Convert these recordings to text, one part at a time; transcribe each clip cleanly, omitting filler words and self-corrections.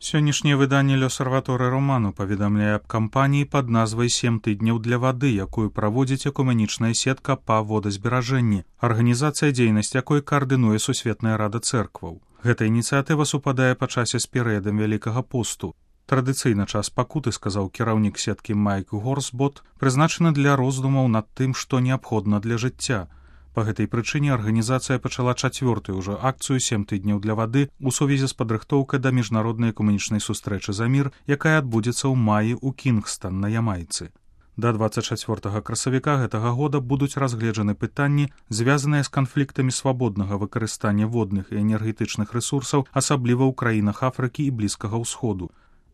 Сённяшняе выданне «L'Osservatore Romano» паведамляе аб кампаніі пад назвай «7 тыдняў для вады», якую праводзіць экуменічная сетка па водазберажэнні, арганізацыя, дзейнасць якой каардынуе Сусветная рада цэркваў. Гэта ініцыятыва супадае па часе з перыядам Вялікага посту. Традыцыйна час пакуты, сказаў кіраўнік сеткі Майк Горсбот, прызначаны для роздумаў над тым, што неабходна для жыцця. Па гэтай прычыне арганізацыя пачала 4-ю ўжо акцыю «7 тыдняў для вады» у сувязі з падрыхтоўкай да міжнароднай экуменічнай сустрэчы за мір, якая адбудзецца ў маі ў Кінгстан на Ямайцы. Да 24 красавіка гэтага года будуць разгледжаны пытанні, звязаныя з канфліктамі свабоднага выкарыстання водных і энергетычных рэсурсаў, асабліва ў краінах Афрыкі і Блізкага ўсходу.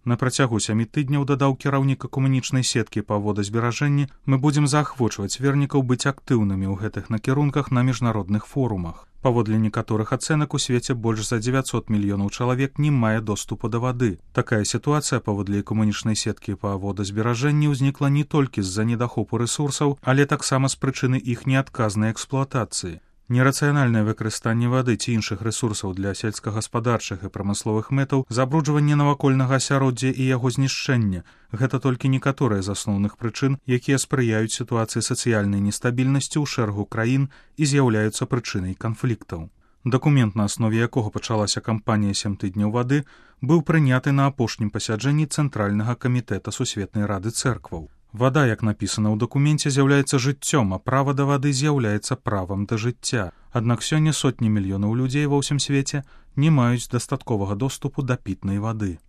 На працягу 7 тыдняў, дадаў кіраўнік экуменічнай сеткі па водазберажэнні, мы будзем заахвочваць вернікаў быць актыўнымі ў гэтых накірунках на міжнародных форумах. Паводле некаторых ацэнак, у свеце больш за 900 мільёнаў чалавек не мае доступу да вады. Такая сітуацыя, паводле экуменічнай сеткі па водазберажэнні, узнікла не толькі з-за недахопу рэсурсаў, але таксама з прычыны іх неадказнай эксплуатацыі. Нерацыянальнае выкарыстанне вады ці іншых рэсурсаў для сельскагаспадарчых і прамысловых мэтаў, забруджванне навакольнага асяроддзя і яго знішчэння – гэта толькі некаторыя з асноўных прычын, якія спрыяюць сітуацыі сацыяльнай нестабільнасці ў шэрагу краін і з'яўляюцца прычынай канфліктаў. Дакумент, на аснове якога пачалася кампанія «7 тыдняў вады», быў прыняты на апошнім пасяджэнні Цэнтральнага камітэта Сусветнай рады цэркваў. Вада, як напісана ў дакуменце, з'яўляецца жыццём, а права да вады з'яўляецца правам да жыцця. Аднак сёння сотні мільёнаў людзей ва ўсім свеце не маюць дастатковага доступу да пітнай вады.